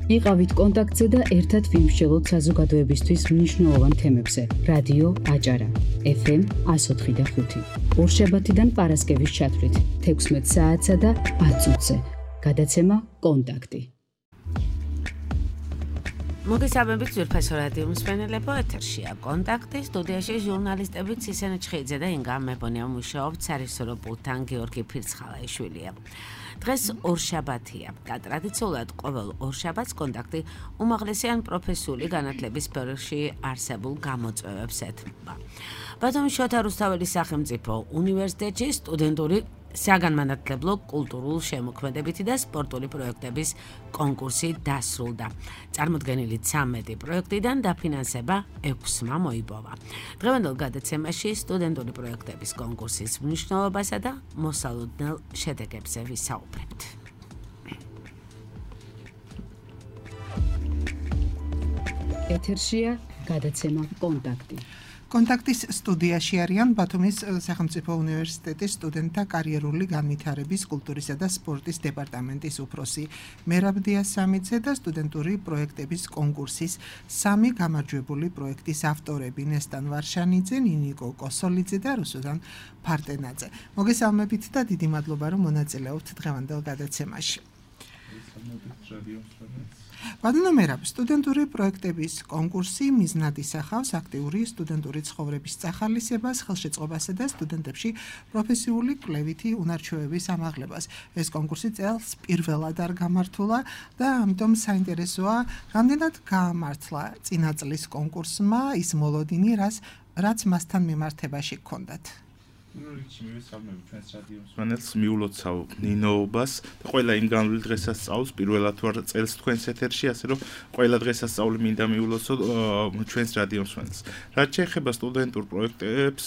იყავით კონტაქტზე და ერთად ვიმსჯელოთ საზოგადოებისთვის მნიშვნელოვან თემებზე. რადიო აჭარა, FM 104.5. ორშაბათიდან პარასკევის ჩათვლით 16 საათსა და 10 წუთზე. გადაცემა კონტაქტი. მოგესალმებით ძვირფასო რადიო მსმენელებო, ეთერშია კონტაქტი, სტუდიაში ჟურნალისტები ცისენე ჩხიძე და ინგა მებონია მუშაობთ სარისორო პულტთან გიორგი ფირცხალაიშვილია. დღეს ორშაბათია და ტრადიციულად ყოველ ორშაბათს კონტაქტი უმაღლესი ან პროფესიული განათლების სფეროში არსებულ გამოწვევებს ეთმობა. ბატონი შოთა რუსთაველის სახელმწიფო უნივერსიტეტში სტუდენტური საგანმანათლებლო კულტურულ შემოქმედებითი და სპორტული პროექტების კონკურსი დასრულდა. წარმოდგენილი 13 პროექტიდან დაფინანსება 6-მა მოიპოვა. დღევანდელ გადაცემაში სტუდენტური პროექტების კონკურსის მნიშვნელობასა და მოსალოდნელ შედეგებზე ვისაუბრებთ. ეთერშია გადაცემა კონტაქტი. კონტაქტის სტუდიაში არიან ბათუმის სახელმწიფო უნივერსიტეტის სტუდენტთა კარიერული განვითარების კულტურისა და სპორტის დეპარტამენტის უფროსი მერაბ დიასამიძე და სტუდენტური პროექტების კონკურსის 3 გამარჯვებული პროექტის ავტორები ნესტან ვარშანიძე, ნინიკო კოსოლიძე და რუსუდან ფარტენაძე. მოგესალმებით და დიდი მადლობა რომ მონაწილეობთ დღევანდელ გადაცემაში. ბატონო მერაბ, სტუდენტური პროექტების კონკურსი მიზნად ისახავს აქტიური სტუდენტური ცხოვრების წახალისებას, ხელშეწყობასა და სტუდენტებში პროფესიული კვლევითი უნარჩვევების ამაღლებას. ეს კონკურსი წელს პირველად არ გამართულა და ამიტომ საინტერესოა, რამდენად გაამართლა წინა წლის კონკურსმა ის მოლოდინი, რაც მასთან მიმართებაში გქონდათ. რიჩი მივესალმებით ჩვენს რადიო მსმენელს, მიულოცავ ნინოობას და ყველა იმ განვლილ დღესასწაულს პირველად ვარ წელს თქვენს ეთერში, ასე რომ ყველა დღესასწაული მინდა მიულოცო ჩვენს რადიო მსმენელს. რაც შეეხება სტუდენტურ პროექტებს,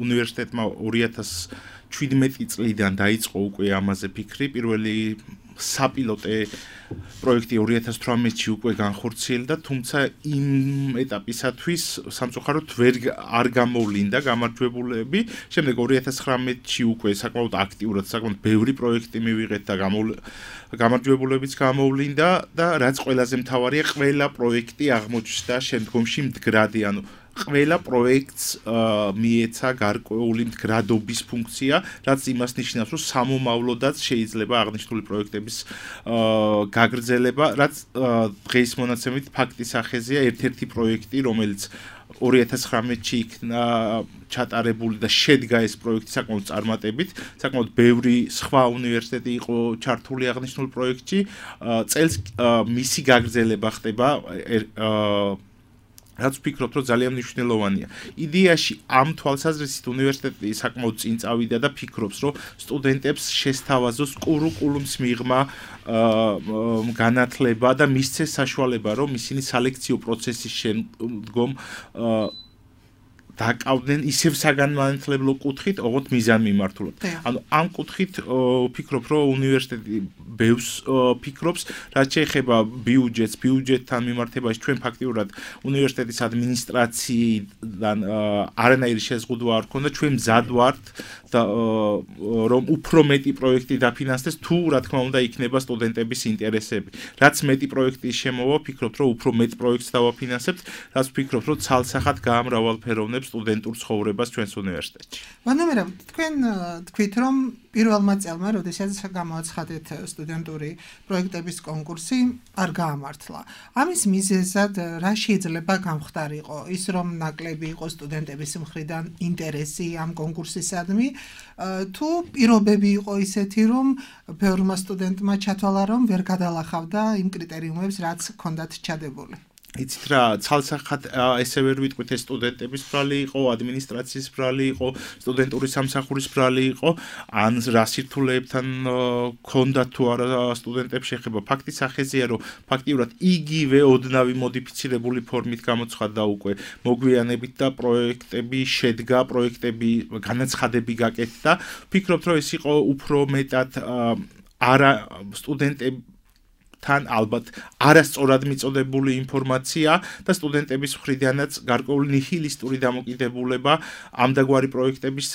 უნივერსიტეტმა 2017 წლიდან დაიწყო უკვე ამაზე ფიქრი. პირველი საპილოტე პროექტი 2018-ში უკვე განხორციელდა, თუმცა იმ ეტაპისათვის სამწუხაროდ არ გამოვლინდა გამარჯვებულები. შემდეგ 2019-ში უკვე საკმაოდ აქტიურად, საკმაოდ ბევრი პროექტი მივიღეთ და გამარჯვებულებიც გამოვლინდა და რაც ყველაზე მთავარია, ყველა პროექტი აღმოჩნდა შემდგომში მდგრადი, ანუ ყველა პროექტს მიეცა გარკვეული მდგრადობის ფუნქცია, რაც იმას ნიშნავს, რომ სამომავლოდაც შეიძლება აღნიშნული პროექტების გაგრძელება, რაც დღეს მონაცემით ფაქტის სახეზეა. ერთ-ერთი პროექტი, რომელიც 2019-ში იქნა ჩატარებული და შედგა ეს პროექტი საკმაოდ წარმატებით, საკმაოდ ბევრი სხვა უნივერსიტეტი იყო ჩართული აღნიშნულ პროექტში, წელს მისი გაგრძელება ხდება, რაც ვფიქრობ, რომ ძალიან მნიშვნელოვანია. იდეაში ამ თვალსაზრისით უნივერსიტეტი საკმაოდ წინ წავიდა და ფიქრობს, რომ სტუდენტებს შესთავაზოს კურიკულუმის მიღმა განათლება და მისცეს საშუალება, რომ ისინი სალექციო პროცესის შემდგომ დაკავდნენ ისევ საგანმანათლებლო კუთხით, ოღონდ მიზანმიმართულად. ანუ ამ კუთხით ვფიქრობ, რომ უნივერსიტეტი ბევრს ფიქრობს, რაც შეეხება ბიუჯეტთან მიმართებაში. ჩვენ ფაქტიურად უნივერსიტეტის ადმინისტრაციიდან არანაირი შეზღუდვა არ ქონდა, ჩვენ მზად ვართ და რომ უფრო მეტი პროექტი დაფინანსდეს, თუ რა თქმა უნდა იქნება სტუდენტების ინტერესები. რაც მეტი პროექტი შემოვა, ვფიქრობ, რომ უფრო მეტ პროექტს დავაფინანსებთ, რაც ვფიქრობ, რომ ცალსახად გაამრავალფეროვნებს სტუდენტურ ცხოვრებას ჩვენს უნივერსიტეტში. ბანომერა, თქვენ თქვით, რომ პირველმა წელმა, როდესაც გამოაცხადეთ სტუდენტური პროექტების კონკურსი, არ გაამართლა. ამის მიზეზად რა შეიძლება გამხდარიყო? ის რომ ნაკლები იყო სტუდენტების მხრიდან ინტერესი ამ კონკურსისადმი, თუ პირობები იყო ისეთი, რომ ბევრმა სტუდენტმა ჩათვალა, რომ ვერ გადალახავდა იმ კრიტერიუმებს, რაც ჰქონდათ ჩადებული? იცით რა, ცალსახად ესე ვერ ვიტყვით, ეს სტუდენტების ბრალი იყო, ადმინისტრაციის ბრალი იყო, სტუდენტური სამსახურის ბრალი იყო, ან რა სირთულეებთან ქონდა თუ არა სტუდენტებს შეხება. ფაქტის სახეზეა, რომ ფაქტიურად იგივე ოდნავი მოდიფიცირებული ფორმით გამოცხადდა უკვე მოგვიანებით და პროექტები შედგა, პროექტები განაცხადები გაკეთდა. ვფიქრობთ, რომ ეს იყო უფრო მეტად არა სტუდენტები თან ალბათ არასწორად მიწოდებული ინფორმაცია და სტუდენტების მხრიდანაც გარკვეული ნიჰილისტური დამოკიდებულება ამდაგვარი პროექტების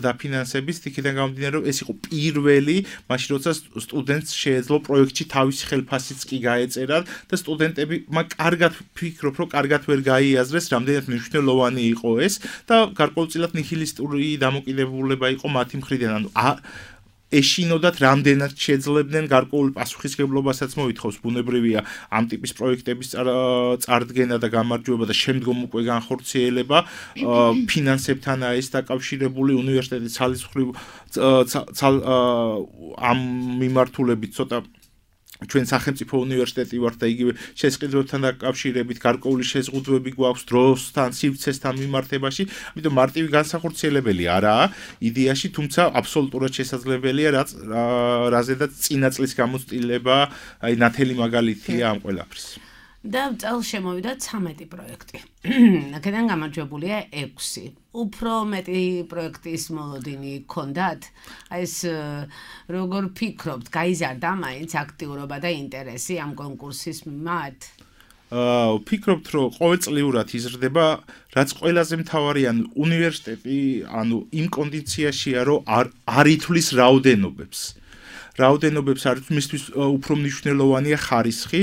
დაფინანსების იქიდან გამომდინარე, რომ ეს იყო პირველი, მაშინ როცა სტუდენტს შეეძლო პროექტში თავისი ხელფასიც კი გაეწერა და სტუდენტები კარგად ფიქრობ, რომ კარგად ვერ გაიაზრეს, რამდენად მნიშვნელოვანი იყო ეს და გარკვეულწილად ნიჰილისტური დამოკიდებულება იყო მათი მხრიდან. ეშინოდათ რამდენად შეძლებდნენ გარკვეული პასუხისმგებლობასაც მოითხოვს ბუნებრივია ამ ტიპის პროექტების წარდგენა და გამარჯვება და შემდგომ უკვე განხორციელება ფინანსებთანაა ეს დაკავშირებული უნივერსიტეტის ძალისხმრივ ამ მიმართულებით ცოტა ჩვენ სახელმწიფო უნივერსიტეტი ვართ და იგივე შესყიდვებთან დაკავშირებით გარკვეული შეზღუდვები გვაქვს დროსთან, სივრცესთან მიმართებაში, ამიტომ მარტივი განსახორციელებელი არაა იდეაში, თუმცა აბსოლუტურად შესაძლებელია, რაზედაც წინა წლის გამოცდილება, აი ნათელი მაგალითია ამ ყველაფრის. და წელს შემოვიდა 13 პროექტი. აქედან გამარჯვებულია 6. უფრო მეტი პროექტის მოლოდინი გქონდათ? აი ეს როგორ ფიქრობთ, გაიზარდა მაინც აქტიურობა და ინტერესი ამ კონკურსის მიმართ? ფიქრობთ, რომ ყოველწლიურად იზრდება, რაც ყველაზე მთავარია, უნივერსიტეტი, იმ კონდიციაშია, რომ არ ითვლის რაოდენობებს. რაოდენობებს არის მისთვის უფრო მნიშვნელოვანია ხარისხი.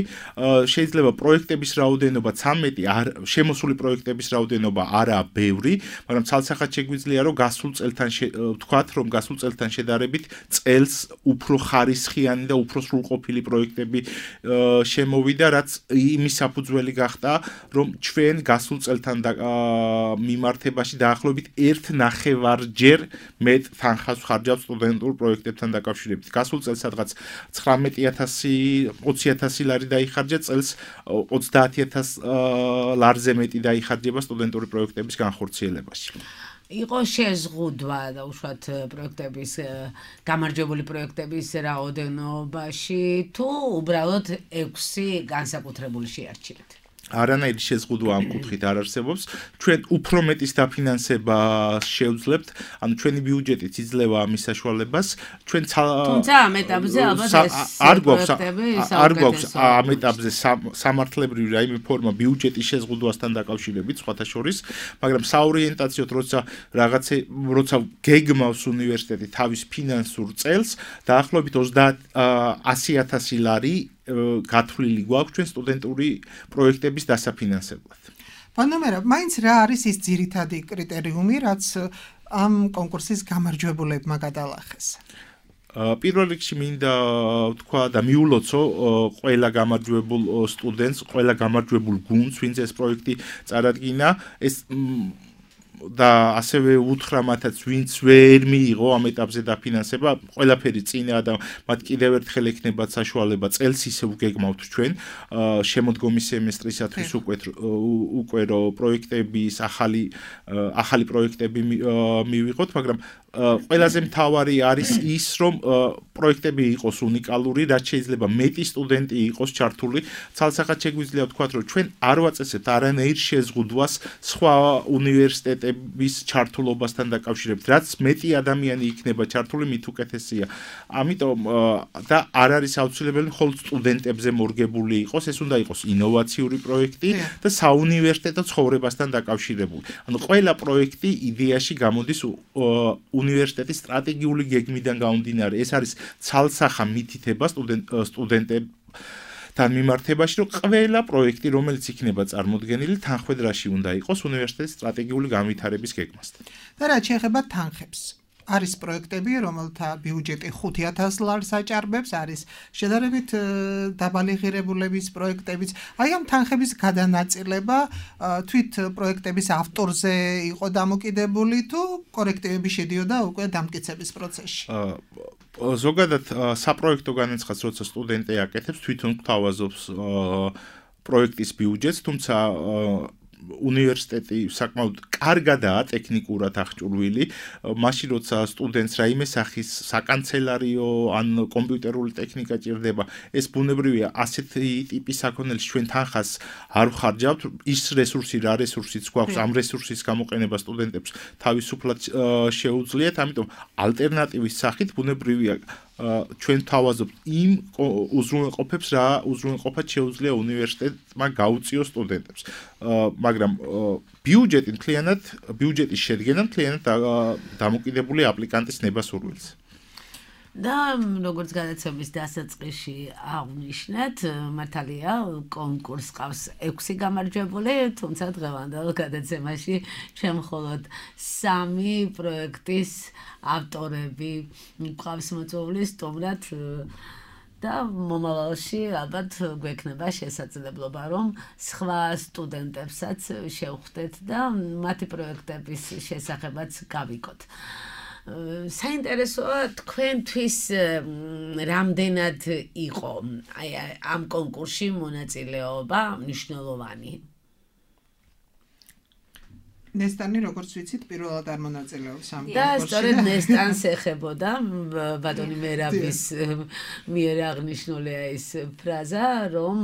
შეიძლება პროექტების რაოდენობა 13, შემოსული პროექტების რაოდენობა არაა ბევრი, მაგრამ ცალსახად შეგვიძლია რომ გასულ წელთან ვთქვათ, რომ გასულ წელთან შედარებით წელს უფრო ხარისხიანი და უფრო სრულყოფილი პროექტები შემოვიდა, რაც იმის საფუძველი გახდა, რომ ჩვენ გასულ წელთან მიმართებაში დაახლოებით 1.5-ჯერ მეტ თანხას ვხარჯავთ სტუდენტურ პროექტებთან დაკავშირებით. გასულ წელს სადღაც 19,000 20,000 ლარი დაიხარჯა, წელს 30,000 ლარზე მეტი დაიხარჯება სტუდენტური პროექტების განხორციელებაში. იყო შეზღუდვა და უშუალოდ პროექტების გამარჯვებული პროექტების რაოდენობაში თუ უბრალოდ 6 განსაკუთრებული შეარჩიეთ? არანაირი შეზღუდვა ამ კუთხით არ არსებობს. ჩვენ უფრო მეტის დაფინანსება შევძლებთ, ანუ ჩვენი ბიუჯეტით იძლევა ამის საშუალებას. ჩვენ თუმცა ამ ეტაპზე ალბათ არ გვაქვს ამ ეტაპზე სამართლებრივი რაიმე ფორმა ბიუჯეტის შეზღუდვასთან დაკავშირებით, სხვათა შორის, მაგრამ საორიენტაციოდ როცა გეგმავს უნივერსიტეტი თავის ფინანსურ წელს, დაახლოებით 100,000 ლარი გათვლილი გვაქვს ჩვენ სტუდენტური პროექტების დასაფინანსებლად. პანომერა, მაინც რა არის ის ძირითადი კრიტერიუმი, რაც ამ კონკურსის გამარჯვებულებმა გადალახეს? პირველ რიგში მინდა ვთქვა და მიულოცო ყველა გამარჯვებულ სტუდენტს, ყველა გამარჯვებულ გუნდს, ვინც ეს პროექტი წარადგინა, ეს და ასევე უთხრა მათაც, ვინც ვერ მიიღო ამ ეტაპზე დაფინანსება, ყველაფერი წინა და მათ კიდევ ერთხელ ექნებათ საშუალება წელს ისე ვგეგმავთ ჩვენ შემოდგომი სემესტრისათვის უკვე რო პროექტების ახალი პროექტები მივიღოთ, მაგრამ ყველაზე მთავარი არის ის, რომ პროექტები იყოს უნიკალური, რაც შეიძლება მეტი სტუდენტი იყოს ჩართული. ცალსახად შეგვიძლია ვთქვათ, რომ ჩვენ არ ვაწესებთ არანაირ შეზღუდვას სხვა უნივერსიტეტების ჩართულობასთან დაკავშირებით. რაც მეტი ადამიანი იქნება ჩართული, მით უკეთესია. ამიტომ და არ არის აუცილებელი მხოლოდ სტუდენტებზე მორგებული იყოს, ეს უნდა იყოს ინოვაციური პროექტი და საუნივერსიტეტო ცხოვრებასთან დაკავშირებული. ანუ ყველა პროექტი იდეაში გამოდის უნივერსიტეტის სტრატეგიული გეგმიდან გამომდინარე. ეს არის ცალსახა მითითება სტუდენტებთან მიმართებაში, რომ ყველა პროექტი, რომელიც იქნება წარმოდგენილი, თანხმედრაში უნდა იყოს უნივერსიტეტის სტრატეგიული განვითარების გეგმასთან. და რაც შეეხება თანხებს, არის პროექტები, რომელთა ბიუჯეტი 5,000 ლარს აჭარბებს, არის შედარებით დაბალი ღირებულების პროექტებიც. აი ამ თანხების გადანაწილება თვით პროექტების ავტორზე იყო დამოკიდებული თუ კორექტივები შედიოდა უკვე დამტკიცების პროცესში? ზოგადად საპროექტო განაცხადს, როცა სტუდენტი აკეთებს, თვითონ გვთავაზობს პროექტის ბიუჯეტს, თუმცა უნივერსიტეტი საკმაოდ კარგადაა ტექნიკურად აღჭურვილი, მაშინ როცა სტუდენტს რაიმე სახის საკანცელარიო ან კომპიუტერული ტექნიკა ჭირდება, ეს ბუნებრივია ასეთი ტიპის საქონელში ჩვენ თანხას არ ვხარჯავთ, ის რესურსი რა რესურსიც გვაქვს, ამ რესურსის გამოყენება სტუდენტებს თავისუფლად შეუძლიათ, ამიტომ ალტერნატივის სახით ბუნებრივია ჩვენ თავაზობთ იმ უზრუნველყოფებს, რა უზრუნველყოფად შეუძლია უნივერსიტეტმა გაუწიოს სტუდენტებს. მაგრამ ბიუჯეტი მთლიანად, ბიუჯეტის შედგენა მთლიანად დამოკიდებული აპლიკანტის ნებასურველზე. და როგორც გადაცემის დასაწყისში აღნიშნეთ, მართალია კონკურსს ყავს 6 გამარჯვებული, თუმცა დღევანდელ გადაცემაში ჩვენ მხოლოდ 3 პროექტის ავტორები გვყავს მოწვეული სტუმრად და მომავალში ალბათ გვექნება შესაძლებლობა, რომ სხვა სტუდენტებსაც შევხვდეთ და მათი პროექტების შესახებაც გავიგოთ. საინტერესოა თქვენთვის რამდენად იყო ამ კონკურსში მონაწილეობა მნიშვნელოვანი? ნესტანი როგორც ვიცით პირველად არ მონაწილეობს ამ და სწორედ ნესტანს ეხებოდა ბატონი მერაბის მიერ აღნიშნულია ეს ფრაზა, რომ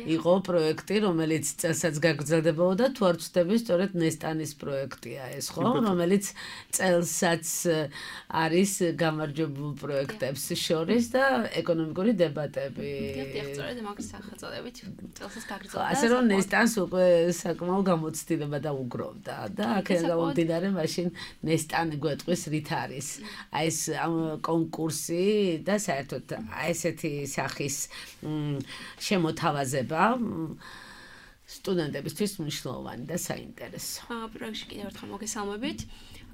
იყო პროექტი, რომელიც წელსაც გაგრძელდებოდა, თუ არ ვცდები, სწორედ ნესტანის პროექტია ეს, ხო, რომელიც წელსაც არის გამარჯვებულ პროექტებს შორის და ეკონომიკური დებატები. დიახ, სწორედ მაგის სახელწოდებით წელსაც გაგრძელდა. ასე რომ ნესტანს უკვე საკმაო გამოცდილება დაუგროვდა. და აქედან გამომდინარე მაშინ ნესტანი გვეტყვის რით არის აი ეს კონკურსი და საერთოდ აი ესეთი სახის შემოთავაზება სტუდენტებისთვის მნიშვნელოვანი და საინტერესო. პროექტში კიდევ ერთხელ მოგესალმებით.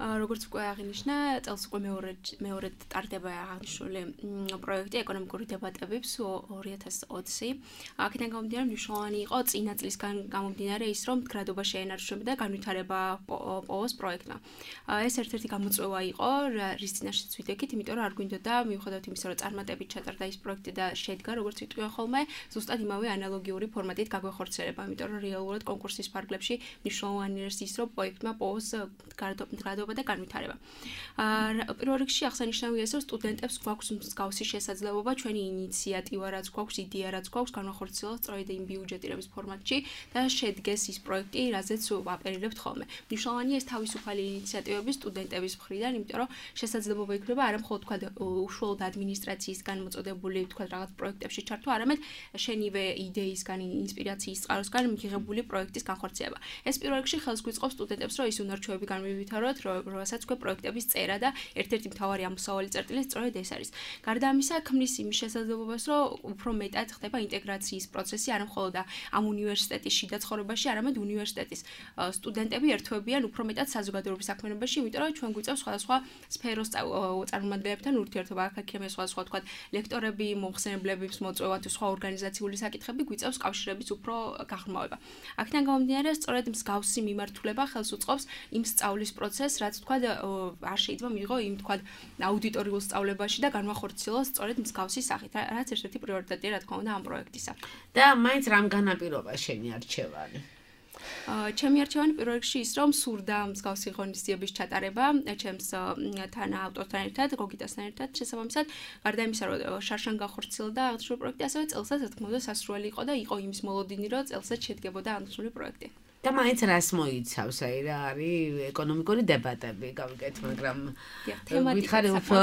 როგორც უკვე აღინიშნა, წელს უკვე მეორე ტარდება აღნიშნული პროექტი ეკონომიკური დებატებებს 2020. აქედან გამომდინარე მნიშვნელოვანი იყო წინა წლისგან გამომდინარე ის, რომ მდგრადობა შეენარჩუნებოდა და განვითარება პოვოს პროექტმა. ეს ერთ-ერთი გამოწვევა იყო, რის წინაშეც ვიდექით, იმიტომ რომ არ გვინდოდა მიუხედავად იმისა, რომ წარმატებით ჩატარდა ის პროექტი და შედგა, როგორც ვიტყვი ხოლმე, ზუსტად იმავე ანალოგიური ფორმატით გაგვეხორციელება, იმიტომ რომ რეალურად კონკურსის ფარგლებში მნიშვნელოვანი არის ის, რომ პროექტმა პოვოს მდგრადობა და განვითარება. პირველ რიგში აღსანიშნავია ის, რომ სტუდენტებს გვაქვს მსგავსი შესაძლებლობა, ჩვენი ინიციატივა რაც გვაქვს, იდეა რაც გვაქვს, განვახორციელოთ სწორედ იმ ბიუჯეტირების ფორმატში და შედგეს ის პროექტი, რაზეც ვაპერირებთ ხოლმე. მნიშვნელოვანია ეს თავისუფალი ინიციატივები სტუდენტების მხრიდან, იმიტომ რომ შესაძლებლობა იქნება არა მხოლოდ თქვა უშუალოდ ადმინისტრაციისგან მოწოდებული თქვა რაღაც პროექტებში ჩართვა, არამედ შენივე იდეისგან, ინსპირაციის წყაროსგან მიღებული პროექტის განხორციელება. ეს პირველ რიგში ხელს გვიწყობს სტუდენტებს, რომ ის უნარჩვევები განმივითავროთ, რომელსაც უკვე პროექტების წერა და ერთ-ერთი მთავარი ამოსავალი წერტილი სწორედ ეს არის. გარდა ამისა, ქმნის იმის შესაძლებლობას, რომ უფრო მეტად ხდება ინტეგრაციის პროცესი, არა მხოლოდ ამ უნივერსიტეტის შიდა ცხოვრებაში, არამედ უნივერსიტეტის სტუდენტები ერთვებიან უფრო მეტად საზოგადოების საქმიანობაში, იმიტომ რომ ჩვენ გვიწევს სხვადასხვა სფეროს წარმომადგენლებთან ურთიერთობა, აქ იქნება სხვადასხვა თქვა ლექტორები, მომხსენებლების მოწვევა თუ სხვა ორგანიზაციული საკითხები გვიწევს კავშირების უფრო გაღრმავება. აქედან გამომდინარე, სწორედ მსგავსი მიმართულება ხელს უწყობს იმ სწავლის პროცესს, რაც თქვა არ შეიძლება მიიღო იმ თქვა აუდიტორიულ სწავლებაში და განვახორციელოს სწორედ მსგავსი სახით, რაც ერთ-ერთი პრიორიტეტია რა თქმა უნდა ამ პროექტისა. და მაინც რამ განაპირობა შენი არჩევანი? ჩემი არჩევანი პირველ რიგში ის, რომ სურდა მსგავსი ღონისძიების ჩატარება ჩემს თან ავტორთან ერთად, გოგიტასთან ერთად შესაბამისად, გარდა იმისა, რომ შარშან განხორციელდა აღნიშნული პროექტი, ასევე წელსაც რა თქმა უნდა სასურველი იყო და იყო იმის მოლოდინი, რომ წელსაც შედგებოდა აღნიშნული პროექტი. და მაინც რას მოიცავს, აი რა არის ეკონომიკური დებატები, გავიგეთ, მაგრამ თემატიკა უფრო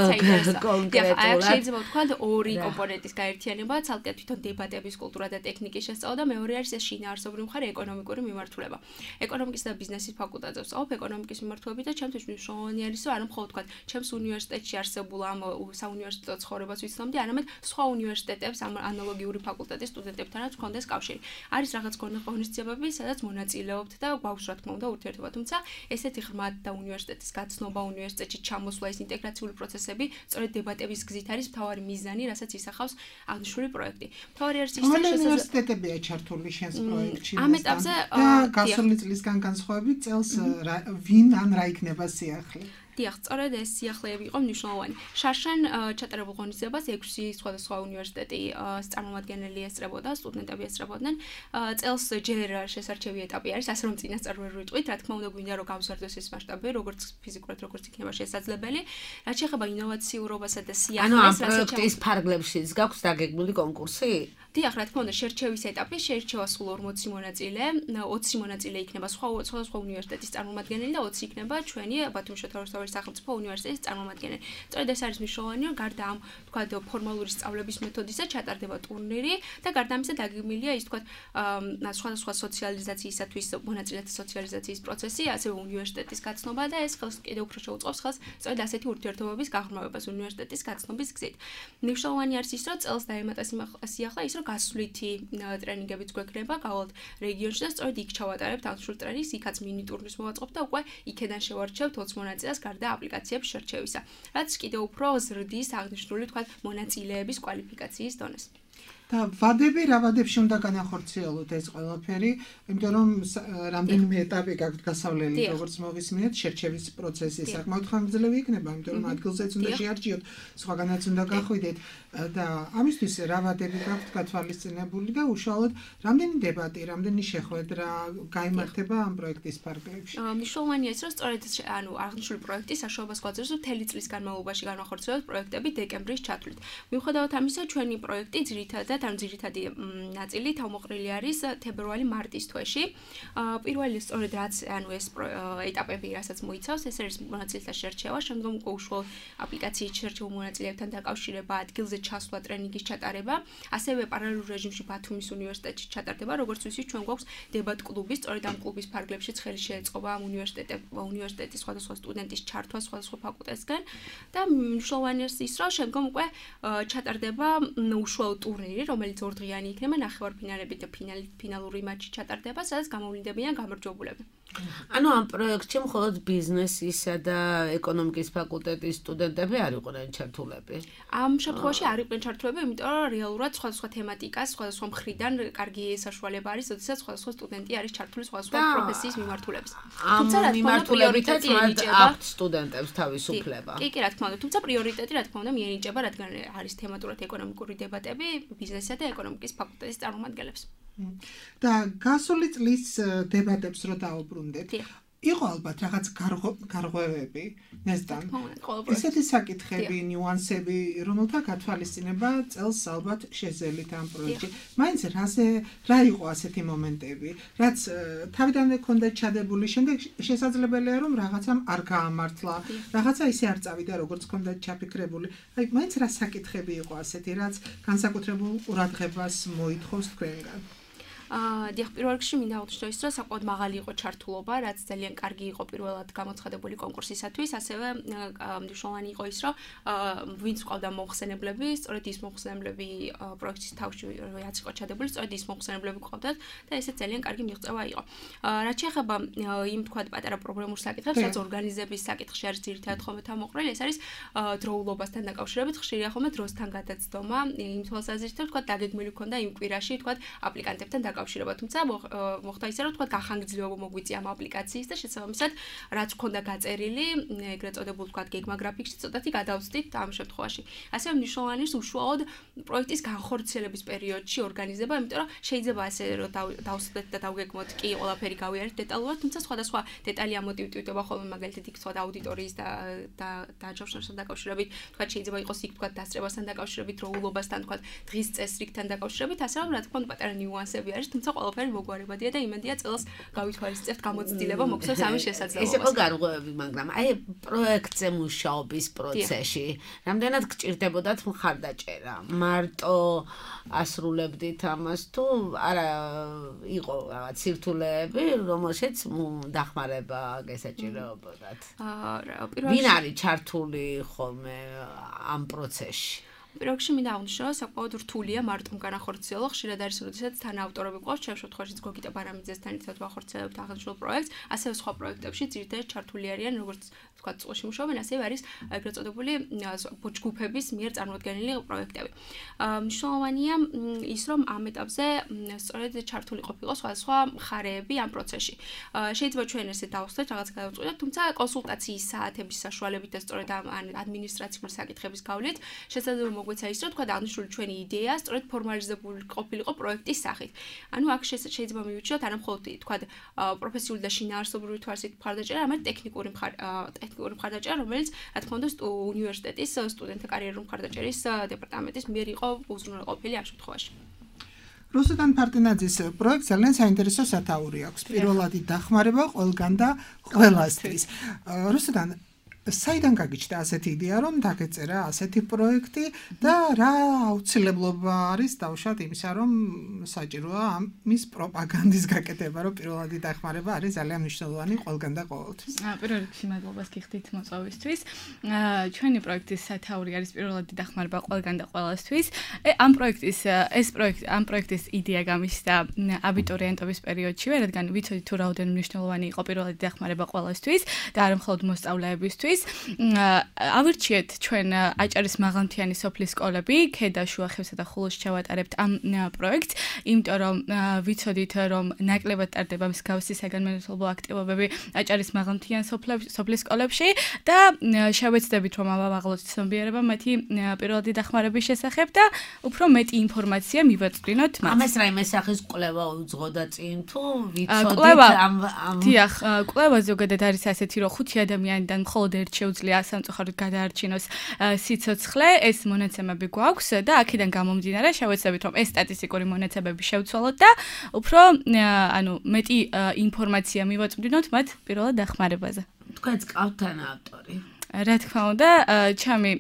კონკრეტულად შეიძლება ვთქვა ორი კომპონენტის გაერთიანება, ცალკე თვითონ დებატების კულტურა და ტექნიკის შესწავლა და მეორე არის ეს შინაარსობრივი მხარე ეკონომიკური მიმართულება. ეკონომიკის და ბიზნესის ფაკულტეტზე ვსწავლობ ეკონომიკის მიმართულებით და ჩემთვის მნიშვნელოვანი არის, რომ არა მხოლოდ ვთქვა, ჩემს უნივერსიტეტში არსებულ ამ საუნივერსიტეტო ცხოვრებას ვიცნობდი, არამედ სხვა უნივერსიტეტებს ამ ანალოგიური ფაკულტეტის სტუდენტებთანაც ვქონდეს კავშირი. არის რაღაც ღონისძიებები, სადაც მონაწილეობთ და გვაქვს რა თქმა უნდა ურთიერთობა, თუმცა ესეთი ღრმად და უნივერსიტეტის გაცნობა, უნივერსიტეტში ჩამოსვლა, ეს ინტეგრაციული პროცესები, სწორედ დებატების გზით არის მთავარი მიზანი, რასაც ისახავს აღნიშნული პროექტი. მთავარი არის ის, რომ უნივერსიტეტებია ჩართული შენს პროექტში. ამ ეტაპზე გასული წლისგან განსხვავებით წელს ვინ ან რა იქნება სიახლე? დიახ, სწორედ ეს სიახლეები იყო მნიშვნელოვანი. შარშან ჩატარებულ ღონისძიებას 6 სხვადასხვა უნივერსიტეტი წარმომადგენელი ესწრებოდა, სტუდენტები ესწრებოდნენ. წელს ჯერ შესარჩევი ეტაპი არის, ასე რომ წინასწარ ვერ ვიტყვით, რა თქმა უნდა გვინდა რომ გავზარდოს ეს მასშტაბი, როგორც ფიზიკურად, როგორც იქნება შესაძლებელი. რაც შეეხება ინოვაციურობასა და სიახლეს, ანუ ამ პროექტის ფარგლებშიც გაქვს დაგეგმილი კონკურსი? დიახ, რა თქმა უნდა, შერჩევის ეტაპი შეირჩევა სულ 40 მონაწილე, 20 მონაწილე იქნება სხვა უნივერსიტეტის წარმომადგენელი და 20 იქნება ჩვენი ბათუმის შოთა რუსთაველის სახელმწიფო უნივერსიტეტის წარმომადგენელი. სწორედ ეს არის მნიშვნელოვანი, რომ გარდა ამ, თქვათ, ფორმალური სწავლების მეთოდისა ჩატარდება ტურნირი და გარდა ამისა დაგეგმილია ის, თქვათ, სხვადასხვა სოციალიზაციისათვის მონაწილეთა სოციალიზაციის პროცესი, ასევე უნივერსიტეტის გაცნობა და ეს ხელს კიდევ უფრო შეუწყობს ხელს სწორედ ასეთი ურთიერთობების გაღრმავებას უნივერსიტეტის გაცნობის გზით. მნიშვნელოვანი არის ის, რომ წელს დაემატა სიახლა ის, რომ გასვლითი ტრენინგებიც გვექნება გავალთ რეგიონში და სწორედ იქ ჩავატარებთ ამ სრულ ტრენინგს, იქაც მინი ტურნირს მოვაწყობთ და უკვე იქედან შევარჩევთ 20 მონაწილეს გარდა აპლიკაციების შერჩევისა, რაც კიდევ უფრო ზრდის აღნიშნული, თქვათ, მონაწილეების კვალიფიკაციის დონეს. და ვადები რა ვადებში უნდა განახორციელოთ ეს ყველაფერი, იმიტომ რომ რამდენიმე ეტაპი გაქვთ გასავლელი, როგორც მოვისმინეთ, შერჩევის პროცესი საკმაოდ ხანგრძლივი იქნება, იმიტომ რომ ადგილზეც უნდა შეარჩიოთ, სხვაგანაც უნდა გახვიდეთ და ამისთვის რა ვადები გაქვთ გათვალისწინებული და უშუალოდ რამდენი დებატი, რამდენი შეხვედრა გაიმართება ამ პროექტის ფარგლებში. მნიშვნელოვანია ის, რომ სწორედ აღნიშნული პროექტის საშუალებას გვაძლევს, რომ მთელი წლის განმავლობაში განვახორციელოთ პროექტები დეკემბრის ჩათვლით. მიუხედავად ამისა, ჩვენი პროექტი ძირითადად ძირითადი ნაწილი თავმოყრილი არის თებერვალი-მარტის თვეში. პირველი სწორედ რაც ეს ეტაპები, რასაც მოიცავს, ეს არის მონაწილეთა შერჩევა, შემდგომ უკვე უშუალოდ აპლიკაციის შერჩეულ მონაწილეებთან დაკავშირება, ადგილზე ჩასვლა, ტრენინგის ჩატარება, ასევე პარალელურ რეჟიმში ბათუმის უნივერსიტეტში ჩატარდება, როგორც ვიცით, ჩვენ გვაქვს დებატ კლუბი, სწორედ ამ კლუბის ფარგლებშიც ხელი შეეწყობა ამ უნივერსიტეტის სხვადასხვა სტუდენტის ჩართვა სხვადასხვა ფაკულტეტისგან და მნიშვნელოვანი არის ის, რომ შემდგომ უკვე ჩატარდება უშუალო ტურნირი, რომელიც ორდღიანი იქნება, ნახევარფინალები და ფინალური მატჩი ჩატარდება, სადაც გამოვლინდებიან გამარჯვებულები. ანუ ამ პროექტში მხოლოდ ბიზნესისა და ეკონომიკის ფაკულტეტის სტუდენტები არ იყვნენ ჩართულები. ამ შემთხვევაში არ იყვნენ ჩართულები, იმიტომ რომ რეალურად სხვადასხვა თემატიკას, სხვადასხვა მხრიდან კარგი საშუალება არის, როდესაც სხვადასხვა სტუდენტი არის ჩართული სხვადასხვა პროფესიის მიმართულების. თუმცა რა მიმართულებითაც აქვთ სტუდენტებს თავისუფლება. კი, რა თქმა უნდა, თუმცა პრიორიტეტი რა თქმა უნდა მიენიჭება, რადგან არის თემატურად ეკონომიკური დებატები ბიზნესისა და ეკონომიკის ფაკულტეტის წარმომადგენლებს. და გასული წლის დებატებს რო დაუბრუნდეთ, იყო ალბათ რაღაც გარღვევები, ნესტან. ესეთი საკითხები, ნიუანსები, რომელთა გათვალისწინება წელს ალბათ შეძელით ამ პროექტში. მაინც რა იყო ასეთი მომენტები, რაც თავიდანვე ქონდა ჩადებული, შემდეგ შესაძლებელია რომ რაღაცამ არ გაამართლა, რაღაცა ისე არ წავიდა, როგორც ქონდა ჩაფიქრებული. აი, მაინც რა საკითხები იყო ასეთი, რაც განსაკუთრებულ ყურადღებას მოითხოვს თქვენგან. დიახ, პირველ რიგში მინდა აღვნიშნო ის, რომ საკმაოდ მაღალი იყო ჩართულობა, რაც ძალიან კარგი იყო პირველად გამოცხადებული კონკურსისათვის, ასევე მნიშვნელოვანი იყო ის, რომ ვინც ყავდა მომხსენებლები, სწორედ ის მომხსენებლები პროექტის თავში რაც იყო ჩადებული, სწორედ ის მომხსენებლები ყავდათ და ესე ძალიან კარგი მიღწევა იყო. რაც შეეხება იმ თქვა პატარა პრობლემურ საკითხებს, რაც ორგანიზების საკითხში არის ძირითადად ხოლმე თავმოყრილი, ეს არის დროულობასთან დაკავშირებით, ხშირია ხოლმე დროსთან გადაცდომა, იმ თვალსაზრისით, თქვა დაგეგმილი ქონდა იმ კვირაში, თქვა აპლიკანტებთან დაკავშირება, თუმცა მოხდა ისე, რომ თქვა გახანგრძლივება მოგვიწია ამ აპლიკაციის და შესაბამისად, რაც ქონდა გაწერილი, ეგრეთ წოდებულ თქვა გეგმა გრაფიკში ცოტათი გადავწვდით ამ შემთხვევაში. ასევე მნიშვნელოვანი ის უშუალოდ პროექტის განხორციელების პერიოდში ორგანიზება, იმიტომ რომ შეიძლება ასე რომ დავსვდეთ და დავგეგმოთ, კი, ყველაფერი გავიარეთ დეტალურად, თუმცა სხვადასხვა დეტალი ამოტივტივდება ხოლმე მაგალითად იქ თქვა აუდიტორიის და დაჯავშნებასთან დაკავშირებით, თქვა შეიძლება იყოს იქ თქვა დასწრებასთან დაკავშირებით, დროულობასთან, თქვა დღის წესრიგთან დაკავშირებით, ასე რომ რა თქმა უნდა პატარა ნიუანსები არის, თუმცა ყველაფერი მოგვარებადია და იმედია წელს გავითვალისწინებთ გამოცდილება მოგვცემს ამის შესაძლებლობას. ეს იყო გარღვევები, მაგრამ აი პროექტზე მუშაობის პროცესში რამდენად გჭირდებოდათ მხარდაჭერა? მარტო ასრულებდით ამას თუ არა იყო რაღაც სირთულეები, რომელშიც დახმარება გესაჭიროებოდათ? ვინ არის ჩართული ხოლმე ამ პროცესში? პირველში მინდა აღვნიშნო, რომ საკმაოდ რთულია მარტომ განახორციელო, ხშირად არის, როდესაც თან ავტორები ყავს, ჩემ შემთხვევაში გოგიტა ბარამიძესთან ერთად ვახორციელებთ აღნიშნულ პროექტს, ასევე სხვა პროექტებში ძირითადად ჩართული არიან, როგორც თქვა, წყოში მუშაობენ, ასევე არის ეგრეთ წოდებული ჯგუფების მიერ წარმოდგენილი პროექტები. მნიშვნელოვანია ის, რომ ამ ეტაპზე სწორედ ჩართული ყოფილიყო სხვადასხვა მხარეები ამ პროცესში. შეიძლება ჩვენ ესე დავხსნათ, რაღაც გადავწყვიტოთ, თუმცა კონსულტაციის საათების საშუალებით და სწორედ ამ ადმინისტრაციული საკითხების გავლით შესაძლოა მოგვეცა ის, რომ თქვა აღნიშნული ჩვენი იდეა სწორედ ფორმალიზებული ყოფილიყო პროექტის სახით. ანუ აქ შეიძლება მივიჩნიოთ არა მხოლოდ თქვა პროფესიული და შინაარსობრივი თვალსაზრისით მხარდაჭერა, არამედ ტექნიკური მხარდაჭერა, რომელიც რა თქმა უნდა უნივერსიტეტის სტუდენტთა კარიერული მხარდაჭერის დეპარტამენტის მიერ იყო უზრუნველყოფილი ამ შემთხვევაში. რუსუდან ფარტინაძის პროექტს ძალიან საინტერესო სათაური აქვს. პირველადი დახმარება ყველგან და ყველასთვის. რუსუდან საიდან გაგიჩნდა ასეთი იდეა, რომ დაგეწერა ასეთი პროექტი და რა აუცილებლობა არის დავუშვათ იმისა, რომ საჭიროა ამის პროპაგანდის გაკეთება, რომ პირველადი დახმარება არის ძალიან მნიშვნელოვანი ყველგან და ყოველთვის. პირველ რიგში მადლობას გიხდით მოწვევისთვის. ჩვენი პროექტის სათაური არის პირველადი დახმარება ყველგან და ყველასთვის. ამ პროექტის იდეა გამიშთა აბიტურიენტობის პერიოდშივე, რადგან ვიცოდით თუ რაოდენობა მნიშვნელოვანი იყო პირველადი დახმარება ყველასთვის და არა მხოლოდ მოსწავლეებისთვის. ავირჩიეთ ჩვენ აჭარის მაღალმთიანი სოფლის სკოლები, ქედა, შუა ხევსა და ხულოს ჩავატარებთ ამ პროექტს, იმიტომ რომ ვიცოდით რომ ნაკლებად ტარდება მსგავსი საგანმანათლებლო აქტივობები აჭარის მაღალმთიან სოფლის სკოლებში და შევეცდებით რომ ავაღალოთ ცნობიერება მათი პირველადი დახმარების შესახებ და უფრო მეტი ინფორმაცია მივაწვდინოთ მათ. ამას რაიმე სახის კვლევა უძღოდა წინ თუ ვიცოდით ამ დიახ, კვლევა ზოგადად არის ასეთი რომ 5 ადამიანიდან მხოლოდ ერთ შეუძლია სამწუხაროდ გადაარჩინოს სიცოცხლე, ეს მონაცემები გვაქვს და აქედან გამომდინარე შევეცდებით რომ ეს სტატისტიკური მონაცემები შევცვალოთ და უფრო მეტი ინფორმაცია მივაწვდინოთ მათ პირველად დახმარებაზე. თქვენც გყავთ თან ავტორი? რა თქმა უნდა, ჩემი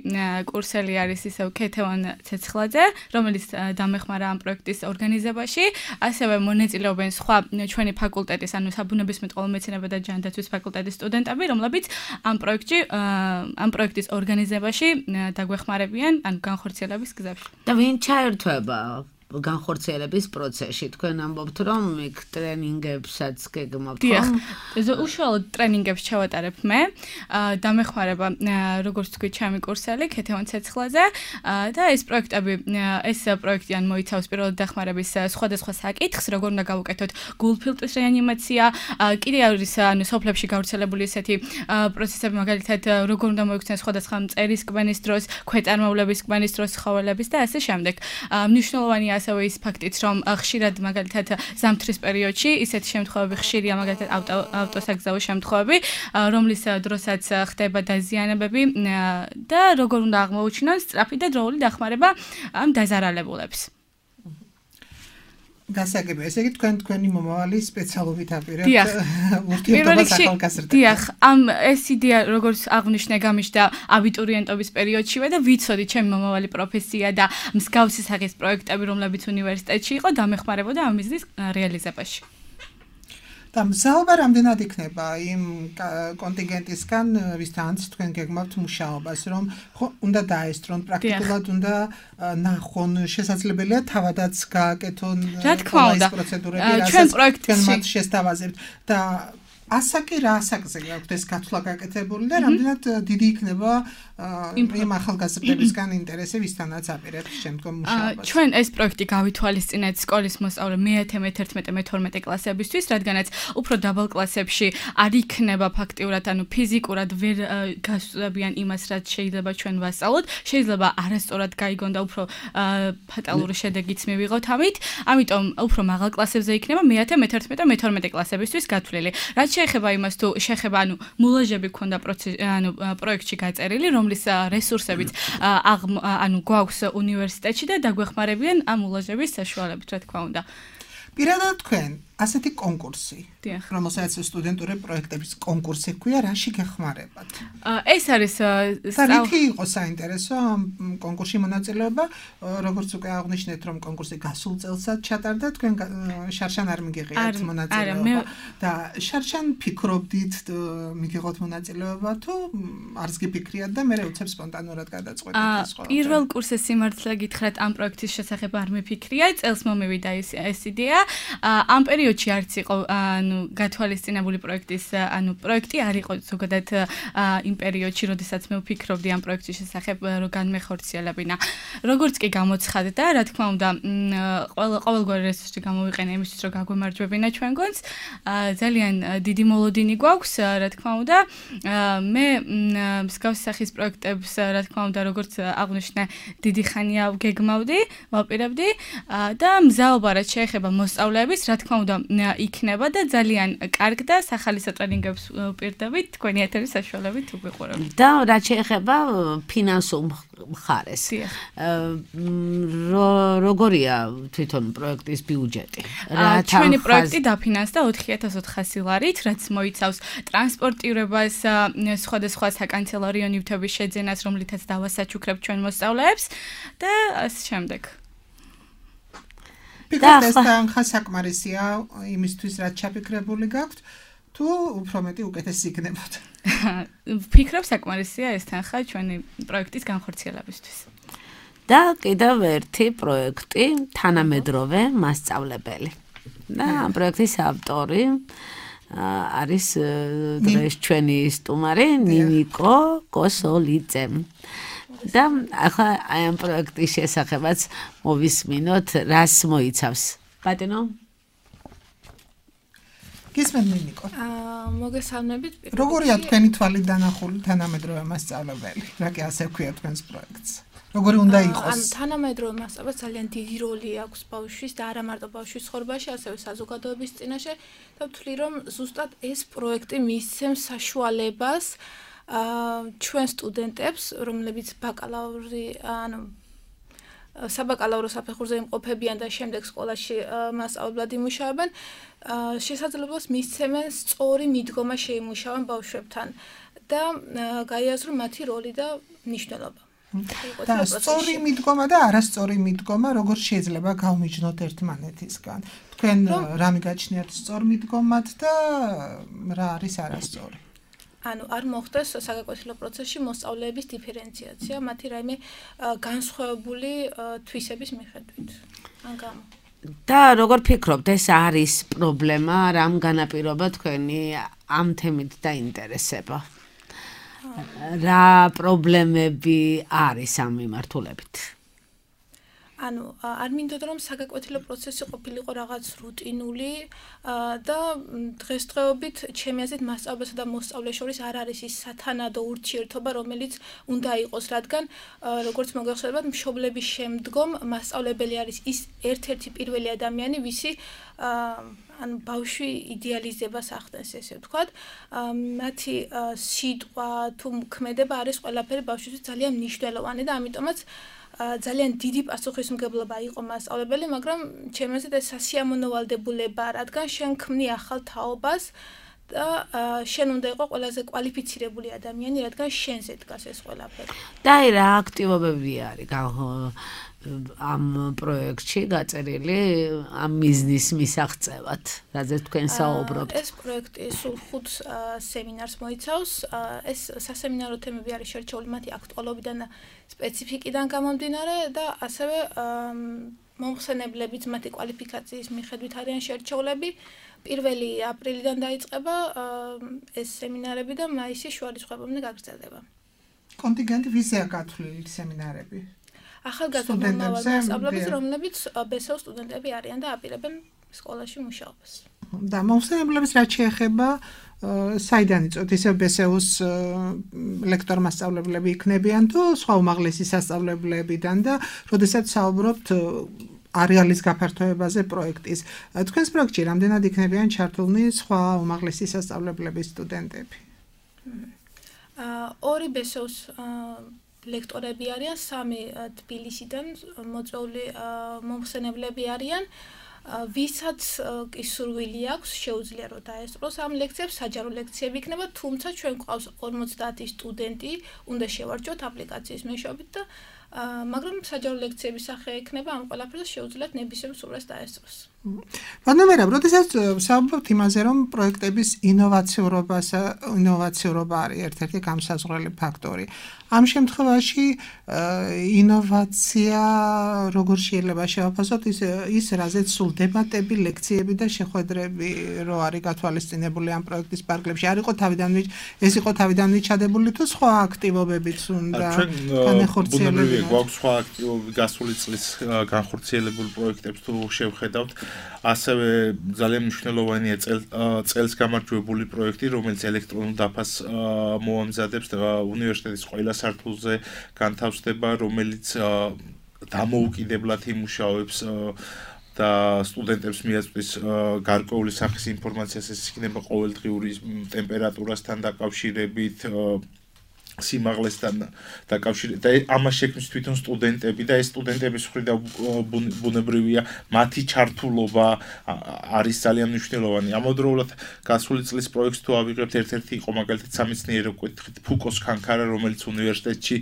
კურსელი არის ისევ ქეთევან ცეცხლაძე, რომელიც დამეხმარა ამ პროექტის ორგანიზებაში, ასევე მონაწილეობენ სხვა ჩვენი ფაკულტეტის, ანუ საბუნებისმეტყველო მეცნიერება და ჯანდაცვის ფაკულტეტის სტუდენტები, რომლებიც ამ პროექტის ორგანიზებაში დაგვეხმარებიან, ანუ განხორციელების გზებში. და ვინ ჩაერთვება განხორციელების პროცესში? თქვენ ამბობთ რომ იქ ტრენინგებსაც გეგმავთ, ხო? უშუალოდ ტრენინგებს ჩავატარებ მე. დამეხმარება როგორც თქვი ჩემი კურსელი ქეთევან ცეცხლაძე და ეს პროექტი ან მოიცავს პირველად დახმარების სხვადასხვა საკითხს, როგორ უნდა გავუკეთოთ გულფილტრის რეანიმაცია, კიდე არის ანუ სოფლებში გავრცელებული ესეთი პროცესები, მაგალითად როგორ უნდა მოიქცნენ სხვადასხვა მწერის კბენის დროს, ქვეწარმავლების კბენის დროს ცხოველების და ასე შემდეგ. მნიშვნელოვანია ასევე ის ფაქტიც, რომ ხშირად მაგალითად ზამთრის პერიოდში ისეთი შემთხვევები ხშირია, მაგალითად ავტოსაგზაო შემთხვევები, რომლის დროსაც ხდება დაზიანებები და როგორ უნდა აღმოუჩინონ სწრაფი და დროული დახმარება ამ დაზარალებულებს. გასაგებია, ესე იგი თქვენი მომავალი სპეციალობით აპირებთ ურთიერთობას ახალგაზრდებთან. დიახ, ეს იდეა როგორც აღნიშნე გამიშთა აბიტურიენტობის პერიოდშივე და ვიცოდი ჩემი მომავალი პროფესია და მსგავსი სახის პროექტები, რომლებიც უნივერსიტეტში იყო, დამეხმარებოდა ამ მიზნის რეალიზებაში. და მზალობა რამდენად იქნება იმ კონტინგენტისგან, ვისთანაც თქვენ გეგმავთ მუშაობას, რომ ხო უნდა დაესწრონ პრაქტიკულად, უნდა ნახონ, შესაძლებელია თავადაც გააკეთონ ეს პროცედურები, რასაც თქვენ მათ შესთავაზებთ და ასაკი რა ასაკზე გაქვთ ეს გათვლა გაკეთებული და რამდენად დიდი იქნება იმ ახალგაზრდებისგან ინტერესი, ვისთანაც აპირებთ შემდგომ მუშაობას. ჩვენ ეს პროექტი გავითვალისწინეთ სკოლის მოსწავლე მე-10, მე-11, მე-12 კლასებისთვის, რადგანაც უფრო დაბალ კლასებში არ იქნება ფაქტიურად, ანუ ფიზიკურად ვერ გასწავლებიან იმას, რაც შეიძლება ჩვენ ვასწავლოთ, შეიძლება არასწორად გაიგონ და უფრო ფატალური შედეგიც მივიღოთ ამით, ამიტომ უფრო მაღალ კლასებზე იქნება მე-10, მე-11 და მე-12 კლასებისთვის გათვლილი. რაც შეეხება იმას თუ შეხება, ანუ მულაჟები ქონდა პროექტში გაწერილი, რომლის რესურსებიც ანუ გვაქვს უნივერსიტეტში და დაგვეხმარებიან ამ მულაჟების საშუალებით, რა თქმა უნდა. პირადად თქვენ ასეთი კონკურსი, რომელსაც სტუდენტური პროექტების კონკურსი ქვია, რაში გეხმარებათ? ეს არის რითი იყო საინტერესო ამ კონკურსში მონაწილეობა, როგორც უკვე აღნიშნეთ, რომ კონკურსი გასულ წელსაც ჩატარდა, თქვენ შარშან არ მიგიღიათ მონაწილეობა და შარშან ფიქრობდით მიგიღოთ მონაწილეობა თუ არც გიფიქრიათ და მე უცებ სპონტანურად გადაწყვეტეთ ეს ყველა? პირველ კურსის სიმართლე გითხრათ, ამ პროექტის შესახებ არ მიფიქრია, წელს მომივიდა ეს იდეა. ამ პერიოდში არც იყო გათვალისწინებული პროექტი არ იყო ზოგადად იმ პერიოდში, როდესაც მე ვფიქრობდი ამ პროექტის შესახებ, რომ განმეხორციელებინა. როგორც კი გამოცხადდა, რა თქმა უნდა, ყოველგვარი რესურსი გამოვიყენე იმისთვის, რომ გაგვემარჯვებინა ჩვენ გონს. ძალიან დიდი მოლოდინი გვაქვს, რა თქმა უნდა. მე მსგავსი სახის პროექტებს, რა თქმა უნდა, როგორც აღნიშნე, დიდი ხანია გეგმავდი, ვაპირებდი და მზაობა რაც შეეხება მოსწავლეების, რა თქმა უნდა, იქნება და ძალიან კარგ და სახალისო ტრენინგებს ვპირდებით თქვენი ეთერის საშუალებით უგვიყურებთ. და რაც შეეხება ფინანსურ მხარეს. როგორია თვითონ პროექტის ბიუჯეტი? ჩვენი პროექტი დაფინანსდა 4400 ლარით, რაც მოიცავს ტრანსპორტირებას, სხვადასხვა საკანცელარიო ნივთების შეძენას, რომლითაც დავასაჩუქრებთ ჩვენ მოსწავლეებს და ასე შემდეგ. ფიქრობთ ეს თანხა საკმარისია იმისთვის, რაც ჩაფიქრებული გაქვთ, თუ უფრო მეტი უკეთესი იქნებოდა? ფიქრობ საკმარისია ეს თანხა ჩვენი პროექტის განხორციელებისთვის. და კიდევ ერთი პროექტი თანამედროვე მასწავლებელი. და ამ პროექტის ავტორი არის დღეს ჩვენი სტუმარი ნინიკო კოსოლიძე. და ახლა აი ამ პროექტის შესახებაც მოვისმინოთ, რას მოიცავს. ბატონო? გისმენთ ნინიკო? მოგესალმებით. როგორია თქვენი თვალით დანახული თანამედროვე მასწავლებელი? რა კი ასე ქვია თქვენს პროექტს? როგორი უნდა იყოს? თანამედროვე მასწავლებელს ძალიან დიდი როლი აქვს ბავშვის და არა მარტო ბავშვის ცხოვრებაში, ასევე საზოგადოების წინაშე და ვთვლი, რომ ზუსტად ეს პროექტი მისცემს საშუალებას ჩვენ სტუდენტებს, რომლებიც ბაკალავრი, საბაკალავრო საფეხურზე იმყოფებიან და შემდეგ სკოლაში მასწავლებლად იმუშავებენ, შესაძლებლობას მისცემენ სწორი მიდგომა შეიმუშავონ ბავშვებთან და გაიაზრონ მათი როლი და მნიშვნელობა. და სწორი მიდგომა და არასწორი მიდგომა როგორ შეიძლება გავმიჯნოთ ერთმანეთისგან? თქვენ რა მიგაჩნიათ სწორ მიდგომად და რა არის არასწორი? არ მოხდეს საგაკვეთილო პროცესში მოსწავლეების დიფერენციაცია, მათი რაიმე განსხვავებული თვისების მიხედვით. და როგორ ფიქრობთ, ეს არის პრობლემა, რამ განაპირობა თქვენი ამ თემით დაინტერესება? რა პრობლემები არის ამ მიმართულებით? არ მინდოდა რომ საგაკვეთილო პროცესი ყოფილიყო რაღაც რუტინული და დღესდღეობით ჩემი აზრით მასწავლებელსა და მოსწავლეს შორის არ არის ის სათანადო ურთიერთობა, რომელიც უნდა იყოს, რადგან როგორც მოგეხსენებათ, მშობლების შემდგომ მასწავლებელი არის ის ერთ-ერთი პირველი ადამიანი, ვისი ბავშვი იდეალიზებას ახდენს, ესე ვთქვათ. მათი სიტყვა თუ ქმედება არის ყველაფერი ბავშვისთვის ძალიან მნიშვნელოვანი და ამიტომაც ძალიან დიდი პასუხისმგებლობა იყო მასწავლებელი, მაგრამ ჩემი აზრით ეს სასიამოვნოვალდებულება, რადგან შენ ქმნი ახალ თაობას და შენ უნდა იყო ყველაზე კვალიფიცირებული ადამიანი, რადგან შენზე დგას ეს ყველაფერი. და რა აქტივობები არის ამ პროექტში გაწერილი ამ მიზნის მისაღწევად, რაზეც თქვენ საუბრობთ? ეს პროექტი სულ 5 სემინარს მოიცავს. ეს სასემინარო თემები არის შერჩეული მათი აქტუალობიდან და სპეციფიკიდან გამომდინარე და ასევე მომხსენებლებიც მათი კვალიფიკაციის მიხედვით არიან შერჩეულები. 1 აპრილიდან დაიწყება ეს სემინარები და მაისის შუარიცხვებამდე გაგრძელდება. კონტინგენტი ვიზია გათვლილი სემინარები? ახალგაზრდა მასწავლებლებს, რომლებიც BSO სტუდენტები არიან და აპირებენ სკოლაში მუშაობას. და მომხსენებლებს რაც შეეხება საიდან იწვევთ? ისევ BSO-ს ლექტორ მასწავლებლები იქნებიან თუ სხვა უმაღლესი სასწავლებლებიდან და როდესაც საუბრობთ არეალის გაფართოებაზე პროექტის. თქვენს პროექტში რამდენად იქნებიან ჩართულნი სხვა უმაღლესი სასწავლებლების სტუდენტები? 2 BSO-ს ლექტორები არიან, 3 თბილისიდან მოწვეული მომხსენებლები არიან, ვისაც კი სურვილი აქვს, შეუძლია რომ დაესწროს ამ ლექციებს, საჯარო ლექციები იქნება, თუმცა ჩვენ გვყავს 50 სტუდენტი, უნდა შევარჯოთ აპლიკაციის მეშვეობით და მაგრამ საჯარო ლექციების სახე ექნება ამ ყველაფერს შეუძლიათ ნებისმიერ სურვილს დაესწროს. ვადნამერა, როდესაც საუბრობთ იმაზე, რომ პროექტების ინოვაციურობა არის ერთ-ერთი გამსაზღვრელი ფაქტორი. ამ შემთხვევაში ინოვაცია როგორ შეიძლება შევაფასოთ ის რაზეც სულ დებატები, ლექციები და შეხვედრები რო არის გათვალისწინებული ამ პროექტის პარკლებში. ეს იყო თავიდან ჩადებული თუ სხვა აქტივობებიც უნდა განხორციელებინათ? გვაქვს სხვა აქტივობები გასული წლის განხორციელებულ პროექტებს თუ შევხედავთ, ასევე ძალიან მნიშვნელოვანია წელს გამარჯვებული პროექტი, რომელიც ელექტრონულ დაფას მოამზადებს და უნივერსიტეტის ყველა სართულზე განთავსდება, რომელიც დამოუკიდებლად იმუშავებს და სტუდენტებს მიაწვდის გარკვეული სახის ინფორმაციას, ეს იქნება ყოველდღიური ტემპერატურასთან დაკავშირებით, სიმაღლესთან დაკავშირებით და ამას შექმნის თვითონ სტუდენტები და ეს სტუდენტების მხრიდან ბუნებრივია მათი ჩართულობა არის ძალიან მნიშვნელოვანი. ამავდროულად გასული წლის პროექტს თუ ავიღებთ, ერთ-ერთი იყო მაგალითად სამეცნიერო კუთხით ფუკოს ქანქარა, რომელიც უნივერსიტეტში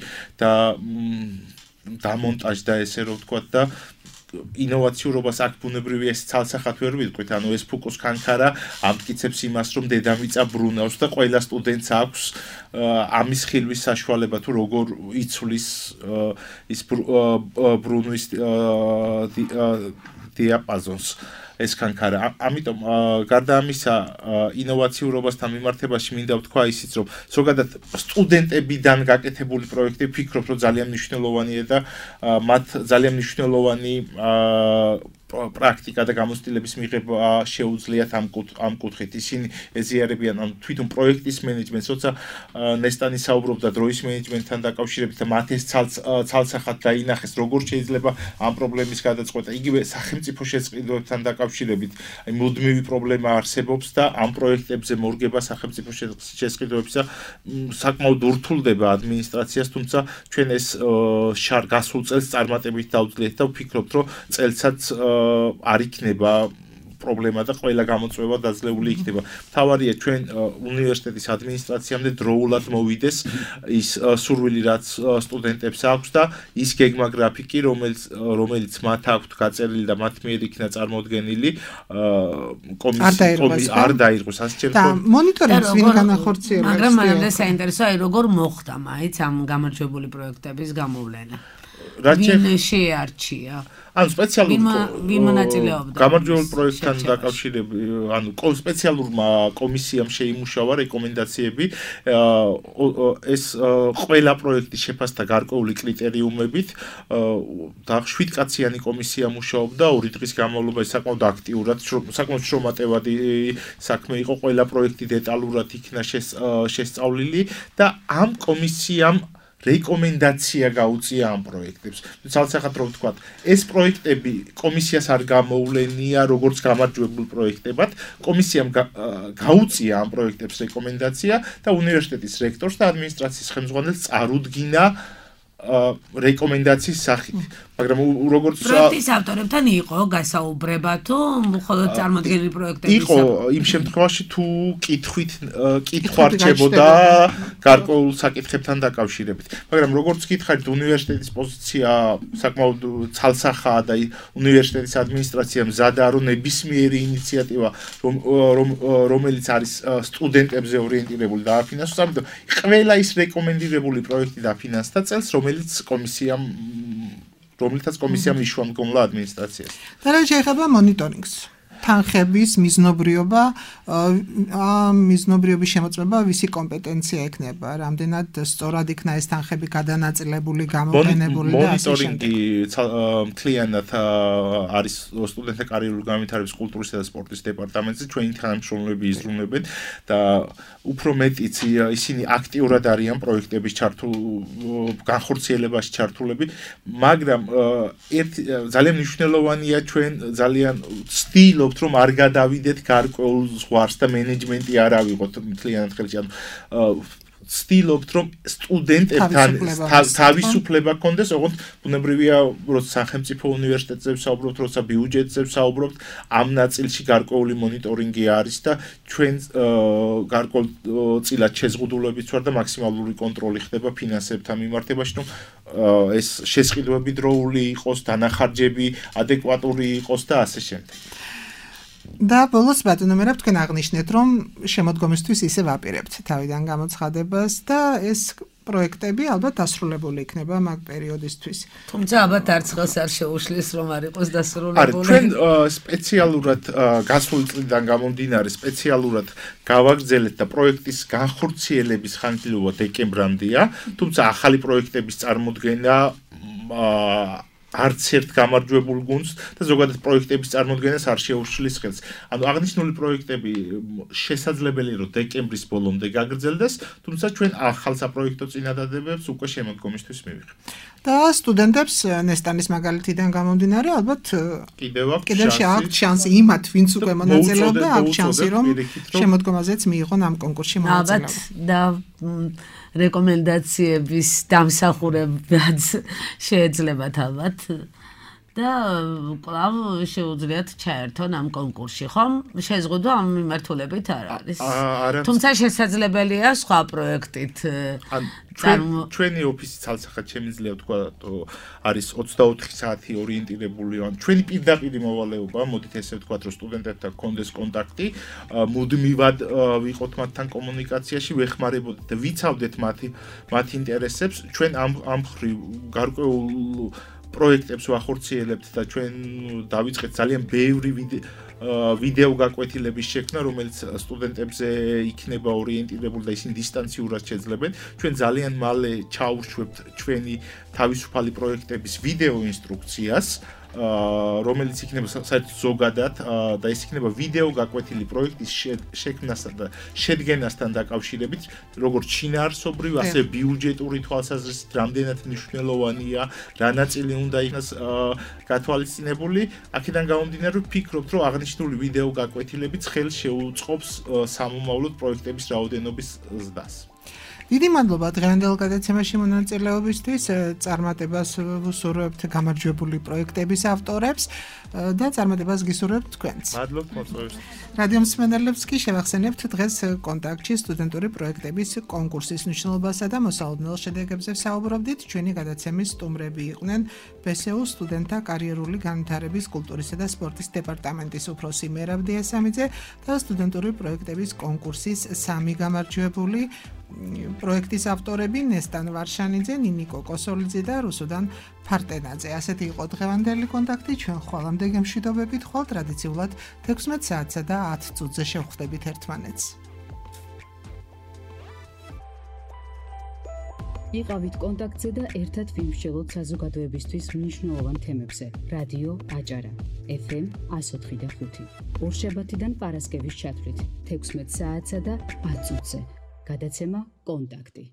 დამონტაჟდა, ესე რომ ვთქვათ და ინოვაციურობას აქ ბუნებრივია ეს ცალსახად ვერ ვიტყვით, ანუ ეს ფუკოს ქანქარა ამტკიცებს იმას, რომ დედამიწა ბრუნავს და ყველა სტუდენტს აქვს ამის ხილვის საშუალება თუ როგორ იცვლის ის ბრუნვის დიაპაზონს ეს ქანქარა. ამიტომ გარდა ამისა ინოვაციურობასთან მიმართებაში მინდა ვთქვა ისიც, რომ ზოგადად სტუდენტებიდან გაკეთებული პროექტები ვფიქრობ, რომ ძალიან მნიშვნელოვანია და მათ ძალიან მნიშვნელოვანი პრაქტიკა და გამოცდილების მიღება შეუძლიათ ამ კუთხით. ისინი ეზიარებიან ამ თვითონ პროექტის მენეჯმენტს, როცა ნესტანი საუბრობდა დროის მენეჯმენტთან დაკავშირებით და მათ ეს ცალსახად დაინახეს, როგორ შეიძლება ამ პრობლემის გადაწყვეტა. იგივე სახელმწიფო შესყიდვებთან დაკავშირებით, აი მუდმივი პრობლემა არსებობს და ამ პროექტებზე მორგება სახელმწიფო შესყიდვების და საკმაოდ ურთულდება ადმინისტრაციას, თუმცა ჩვენ ეს გასულ წელს წარმატებით დავძლიეთ და ვფიქრობთ, რომ წელსაც არ იქნება პრობლემა და ყველა გამოწვევა დაძლეული იქნება. მთავარია ჩვენ უნივერსიტეტის ადმინისტრაციამდე დროულად მოვიდეს ის სურვილი, რაც სტუდენტებს აქვს და ის გეგმა გრაფიკი, რომელიც მათ აქვთ გაწერილი და მათ მიერ იქნა წარმოდგენილი, არ დაირღვეს ასე ჩემს. და მონიტორინგს ვინ განახორციელებს? მაგრამ მანამდე საინტერესოა, როგორ მოხდა მაინც ამ გამარჯვებული პროექტების გამოვლენა? ვინ შეარჩია? ანუ სპეციალურ გამარჯვებულ პროექტთან დაკავშირებით, ანუ სპეციალურმა კომისიამ შეიმუშავა რეკომენდაციები ეს ყველა პროექტის შეფასდა გარკვეული კრიტერიუმებით და 7 კაციანი კომისია მუშაობდა 2 დღის განმავლობაში საკმაოდ აქტიურად, საკმაოდ შრომატევადი საქმე იყო, ყველა პროექტი დეტალურად იქნა შესწავლილი და ამ კომისიამ რეკომენდაცია გაუწია ამ პროექტებს. ცალსახად რომ ვთქვათ, ეს პროექტები კომისიას არ გამოვლენია როგორც გამარჯვებულ პროექტებად, კომისიამ გაუწია ამ პროექტებს რეკომენდაცია და უნივერსიტეტის რექტორს და ადმინისტრაციის ხელმძღვანელს წარუდგინა რეკომენდაციის სახით. მაგრამ როგორც პროექტის ავტორებთან იყო გასაუბრება თუ მხოლოდ წარმოდგენილი პროექტების იყო იმ შემთხვევაში თუ კითხვა რჩებოდა გარკვეულ საკითხებთან დაკავშირებით. მაგრამ როგორც გითხარით, უნივერსიტეტის პოზიცია საკმაოდ ცალსახაა და უნივერსიტეტის ადმინისტრაცია მზადაა, რომ ნებისმიერი ინიციატივა, რომელიც არის სტუდენტებზე ორიენტირებული და დაფინანსოს, ამიტომ ყველა ის რეკომენდირებული პროექტი დაფინანსდა წელს, რომელთაც კომისიამ იშვა მდგომლა ადმინისტრაციას. და რა შეიძლება მონიტორინგს? თანხების მიზნობრიობა, მიზნობრიობის შემოწმება ვისი კომპეტენცია ექნება? რამდენად სწორად იქნა ეს თანხები გადანაწილებული, გამოყენებული და ასე შემდეგ? მონიტორინგი მთლიანად არის სტუდენტთა კარიერული განვითარების კულტურისა და სპორტის დეპარტამენტზე, ჩვენი თანამშრომლები იზრუნებენ და უფრო მეტიც ისინი აქტიურად არიან პროექტების განხორციელებაში ჩართულები, მაგრამ ძალიან მნიშვნელოვანია ჩვენ ძალიან ვცდილობთ რომ არ გადავიდეთ გარკვეულ ზღვარს და მენეჯმენტი არ ავიღოთ მთლიანად ხელში. ანუ ვცდილობთ რომ სტუდენტებთან თავისუფლება გქონდეს, ოღონდ ბუნებრივია, როცა სახელმწიფო უნივერსიტეტებზე ვსაუბრობთ, როცა ბიუჯეტზე ვსაუბრობთ, ამ ნაწილში გარკვეული მონიტორინგი არის და ჩვენ გარკვეულწილად შეზღუდულებით ვარ და მაქსიმალური კონტროლი ხდება ფინანსებთან მიმართებაში, რომ ეს შესყიდვები დროული იყოს, დანახარჯები ადეკვატური იყოს და ასე შემდეგ. და ბოლოს ბატონო მერაბ თქვენ აღნიშნეთ, რომ შემოდგომისთვის ისე ვაპირებთ თავიდან გამოცხადებას და ეს პროექტები ალბათ დასრულებული იქნება მაგ პერიოდისთვის. თუმცა ალბათ არც ხელს არ შეუშლის რომ არ იყოს დასრულებული. არა, ჩვენ სპეციალურად გასული წლიდან გამომდინარე სპეციალურად გავაგრძელეთ და პროექტის განხორციელების ხანგრძლივობა დეკემბრამდეა, თუმცა ახალი პროექტების წარმოდგენა არც ერთ გამარჯვებულ გუნდს და ზოგადად პროექტების წარმოქმნას არ შეუშლის ხელს. ანუ აღნიშნული პროექტები შესაძლებელი რომ დეკემბრის ბოლომდე გაგრძელდეს, თუმცა ჩვენ ახალ საპროექტო წინადადებებს უკვე შემოდგომისთვის მივიღებთ. და სტუდენტებს ნესტანის მაგალითიდან გამომდინარე, ალბათ კიდევ აქვს შანსი იმათ, ვინც უკვე მონაწილეობდა, აქვს შანსი რომ შემოდგომაზეც მიიღონ ამ კონკურსში მონაწილეობა. და რეკომენდაციების დამსახურებაც შეეძლებათ ალბათ და კვლავ შეუძლიათ ჩაერთონ ამ კონკურსში, ხომ? შეზღუდვა ამ მიმართულებით არ არის. თუმცა შესაძლებელია სხვა პროექტით ჩვენი ოფისი ცალსახად შემიძლია თქვა არის 24 საათი ორიენტირებული ან ჩვენი პირდაპირი მოვალეობა, მოდით ესე ვთქვათ, რომ სტუდენტებთან გქონდეს კონტაქტი, მუდმივად ვიყოთ მათთან კომუნიკაციაში, ვეხმარებოდეთ და ვიცავდეთ მათ ინტერესებს, ჩვენ ამ ხრივ გარკვეულ პროექტებს ვახორციელებთ და ჩვენ დავიწყეთ ძალიან ბევრი ვიდეო გაკვეთილების შექმნა, რომელიც სტუდენტებზე იქნება ორიენტირებული და ისინი დისტანციურად შეძლებენ. ჩვენ ძალიან მალე ჩაუშვებთ ჩვენი თავისუფალი პროექტების ვიდეო ინსტრუქციას, რომელიც იქნება საერთოდ ზოგადად და ეს იქნება ვიდეო გაკვეთილი პროექტის შექმნასთან და შედგენასთან დაკავშირებით, როგორც შინაარსობრივ, ასევე ბიუჯეტური თვალსაზრისით, რამდენად მნიშვნელოვანია, რა ნაწილი უნდა იქნას გათვალისწინებული. აქედან გამომდინარე, ვფიქრობთ, რომ აღნიშნული ვიდეო გაკვეთილებიც ხელს შეუწყობს სამომავლოდ პროექტების რაოდენობის ზრდას. დიდი მადლობა დღევანდელ გადაცემაში მონაწილეობისთვის, წარმატებას ვუსურვებთ გამარჯვებული პროექტების ავტორებს და წარმატებას გისურვებთ თქვენც. მადლობთ მოწვევისთვის. რადიო მსმენელებს კი შევახსენებთ დღეს კონტაქტში სტუდენტური პროექტების კონკურსის მნიშვნელობასა და მოსალოდნელ შედეგებზე ვსაუბრობდით. ჩვენი გადაცემის სტუმრები იყვნენ ბსუ სტუდენტთა კარიერული განვითარების კულტურისა და სპორტის დეპარტამენტის უფროსი მერაბ დიასამიძე და სტუდენტური პროექტების კონკურსის 3 გამარჯვებული პროექტის ავტორები ნესტან ვარშანიძე, ნინიკო კოსოლიძე და რუსუდან ფარტენაძე. ასეთი იყო დღევანდელი კონტაქტი. ჩვენ ხვალამდე გემშვიდობებით, ხვალ ტრადიციულად 16 საათსა და 10 წუთზე შევხვდებით ერთმანეთს. იყავით კონტაქტზე და ერთად ვიმსჯელოთ საზოგადოებისთვის მნიშვნელოვან თემებზე. რადიო აჭარა, FM 104.5. ორშაბათიდან პარასკევის ჩათვლით 16 საათსა და 10 წუთზე. გადაცემა კონტაქტი.